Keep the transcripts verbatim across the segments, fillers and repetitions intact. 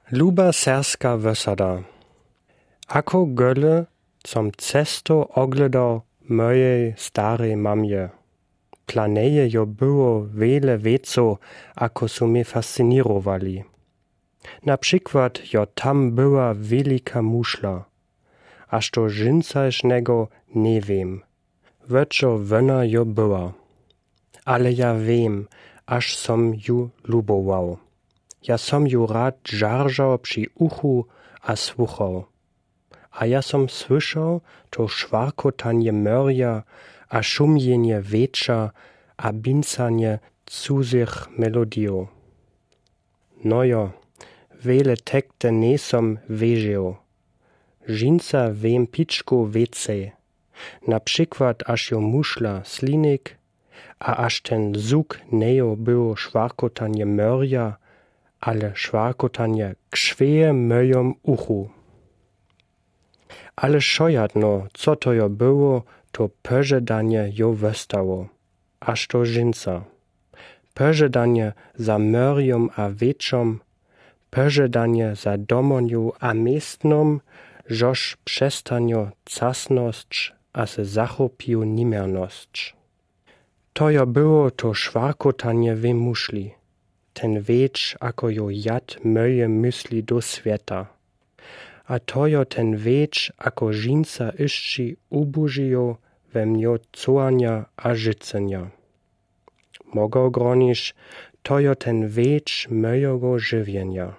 Luba serska wësada. Ako gole som cesto oglodał mojej starej mamie. Dla neje jo było wele wecov, ako su mie fascinirowali. Na przikład jo tam była welika mušla, a što žinsajšnego nie wiym, weczo wona jo była. Ale ja wiym, aż som ju lubował. Ja som ju rad žaržał při uchu a słuchał. A ja som słyszał to szwarkotanie mörja a szumjenje wietrza a bincanie cuzych melodijów. No jo, wele tekste nie som wieżił. Žinsa wiym piczku wecej. Na przikład, aż jo mušla slinik, a aż ten zuk nie jo było szwarkotanie mörja, ale szwarkotanie krzwieje w mojom uchu. Ale wšojadno, co to jo było, to pożedanie jo wëstało. Aż to žinsa. Pożedanie za mörjom a wietrzom, pożedanie za domonju a miestnom, žoż přestanjo casnosć a se zachopiju nimernosć. To jo było to szwarkotanie we mušli, ten wietr, ako jo jad mòje mysli do swiata. A to jo ten wietr, ako žinsa išči ubožijo we mnjo cołanja a žicynja. Mògło groniš, to jo ten wietr mòjego žiwienja.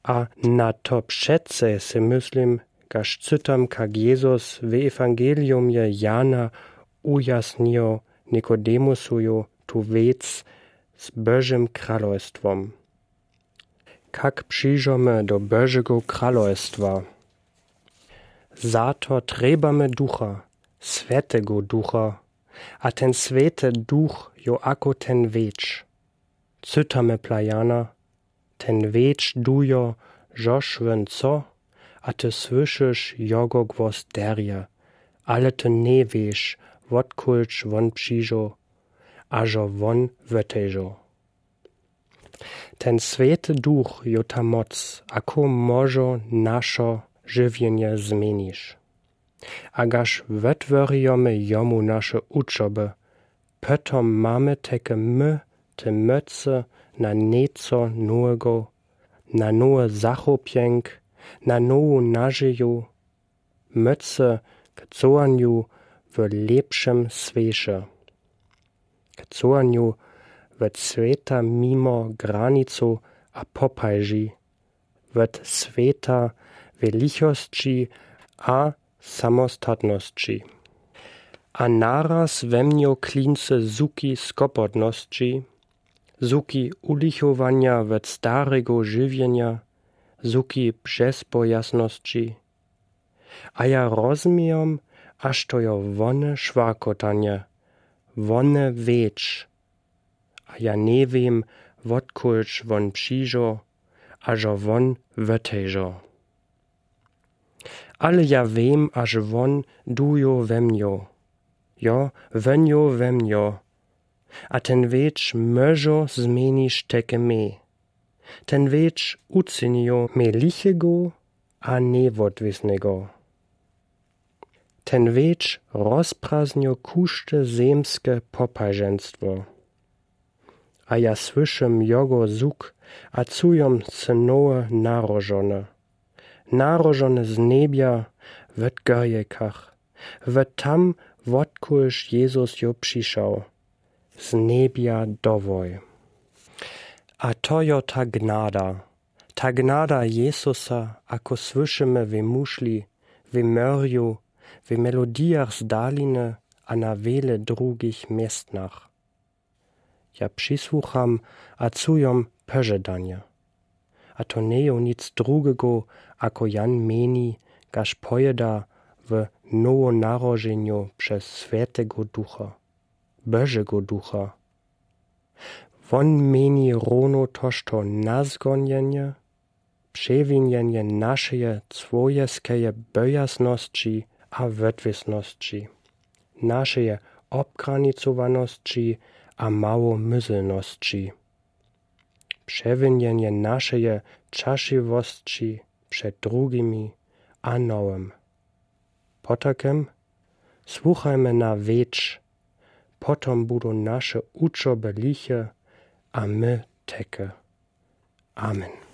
A na to přece se myslim, kaž cytam, kak Jezus w ewangeliumje Jana ujasnijo Nikodemusowi tu wěc z Bòžim kralojstwom. Kak přińdźemy do Bòžego kralojstwa? Za to trjebamy Ducha, Swjatego Ducha, a ten Swjaty Duch jo ako ten wietr. Cytamy plajana: Ten wietr duje, žož wón chce, a ty słyszysz jegò głos derje, ale ty nie wěš, wódkądž wón přińdźe, a žo wón wëtejže. Ten Swjaty Duch jo ta móc, ako mòże naše žiwienje zmienić. A kaž wëtwòrijomy jemu naše wučoby, potom mamy teke my te mòce na něco nowego, na nowy zachopjenk, na nową nažiju, mòce k cołanju w lěpšim swěše, k cołanju wòd swěta mimo granicu a popaži, wòd swěta w lichosći a samostatnosći. A naraz we mnjo klince zuki skopotnosći, zuki ulichowanja wòd starego žiwienja, zuki bjezbojaznosći. A ja rozmijom, a što jo wone šwarkotanje, wone wietr. A ja nie wěm, wódkądž wón přińdźe, a žo wón wëtejže. Ale ja wěm, a žo wón duje we mnjo. Jo, wón jo we mnjo. A ten wietr mòże zmienić teke mie. Ten wietr uczynje mie lichego a niewòdwisnego. Ten wietr rozpraznje kóżde zemske popaženstwo. A ja słyszym jegò zuk a czujom se nowe narodzone. Narodzone z niebia, w Gòrjekach, w tam, wódkądž Jezus jo přišel. Z niebia do wòj. A to jo ta gnada. Ta gnada Jezusa, ako słyszymy w mušli, w mòrju, w melodijach z daliny a na wiele drugich městnach. Ja przisłucham a czujom pòżedanje. A to nie jo nic drugego, ako Jan mjeni, kaž pòwěda w nowonarodźenju přez Swjatego Ducha, Bòżego Ducha. Wón mjeni rowno toż to nazgonjenje, přewinjenje našeje cłowijeskeje bòjaznosći a wòdwisnosći, našeje obgranicowanosći a małomyslnosći. przewinienje naszeje czasziwosci przed drugimi a nowym. Potakem słuchajmy na wiecz, potom budą nasze uczoby liche, a my teke. Amen.